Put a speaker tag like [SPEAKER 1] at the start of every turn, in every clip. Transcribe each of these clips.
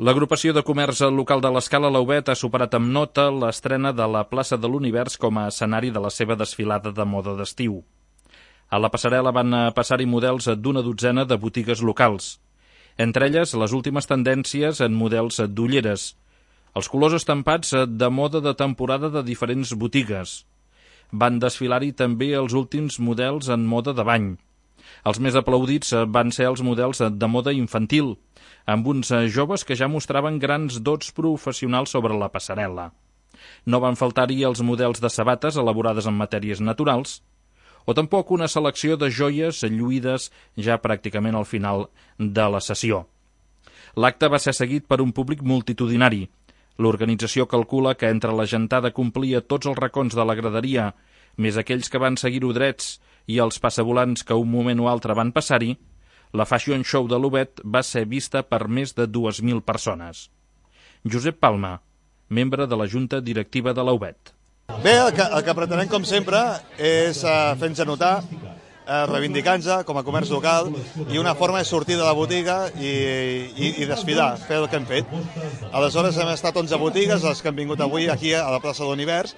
[SPEAKER 1] L'agrupació de comerç local de l'Escala Lauvet ha superat amb nota l'estrena de la plaça de l'Univers com a escenari de la seva desfilada de moda d'estiu. A la passarel·la van passar-hi models d'una dotzena de botigues locals, entre elles les últimes tendències en models d'ulleres, els colors estampats de moda de temporada de diferents botigues. Van desfilar-hi també els últims models en moda de bany. Els més aplaudits van ser els models de moda infantil, amb uns joves que ja mostraven grans dots professionals sobre la passarel·la. No van faltar-hi els models de sabates elaborades en matèries naturals, o tampoc una selecció de joies lluïdes ja pràcticament al final de la sessió. L'acte va ser seguit per un públic multitudinari. L'organització calcula que entre la gentada complia tots els racons de la graderia, més aquells que van seguir-ho drets i els passavolants que un moment o altre van passar-hi, la Fashion Show de Lauvet va ser vista per més de 2.000 persones. Josep Palma, membre de la Junta Directiva de Lauvet.
[SPEAKER 2] Bé, el que pretenem, com sempre, és fer-nos notar, reivindicar-nos com a comerç local, i una forma és sortir de la botiga i desfilar, fer el que hem fet. Aleshores hem estat 11 botigues, les que han vingut avui aquí a la plaça de l'Univers,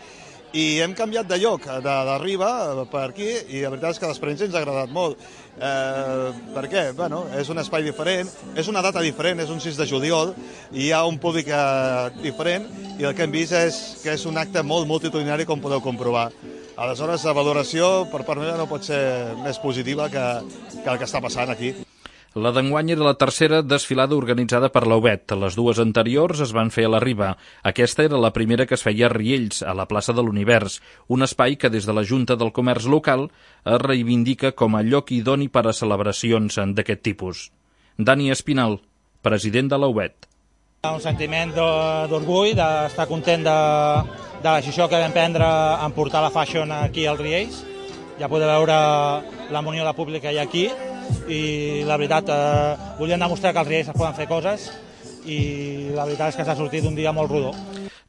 [SPEAKER 2] i hem canviat de lloc, de Riba per aquí, i la veritat és que l'experiència ens ha agradat molt. Per què? Bueno, és un espai diferent, és una data diferent, és un 6 de juliol, i hi ha un públic diferent, i el que hem vist és que és un acte molt multitudinari, com podeu comprovar. Aleshores, la valoració per part meva no pot ser més positiva que el que està passant aquí.
[SPEAKER 1] La d'enguany era la tercera desfilada organitzada per Lauvet. Les dues anteriors es van fer a la Riba. Aquesta era la primera que es feia a Riells, a la plaça de l'Univers, un espai que des de la Junta del Comerç Local es reivindica com a lloc idoni per a celebracions d'aquest tipus. Dani Espinal, president de Lauvet.
[SPEAKER 3] Un sentiment d'orgull, d'estar content de la decisió que vam prendre en portar la fashion aquí al Riells. Ja podeu veure la munió de públic que hi ha aquí, i la veritat, volíem demostrar que als Riells es poden fer coses, i la veritat és que s'ha sortit un dia molt rodó.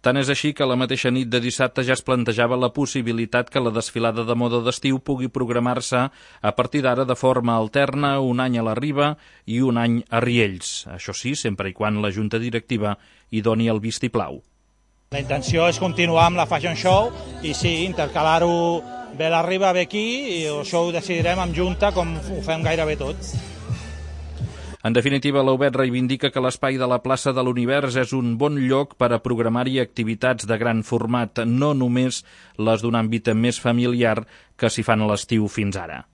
[SPEAKER 1] Tant és així que la mateixa nit de dissabte ja es plantejava la possibilitat que la desfilada de moda d'estiu pugui programar-se a partir d'ara de forma alterna, un any a la Riba i un any a Riells. Això sí, sempre i quan la Junta Directiva hi doni el vistiplau.
[SPEAKER 3] La intenció és continuar amb la Fashion Show i sí, intercalar-ho ve a la Riba, ve aquí, i això ho decidirem en junta com ho fem gairebé tot.
[SPEAKER 1] En definitiva, Lauvet reivindica que l'espai de la plaça de l'Univers és un bon lloc per a programar-hi activitats de gran format, no només les d'un àmbit més familiar que s'hi fan a l'estiu fins ara.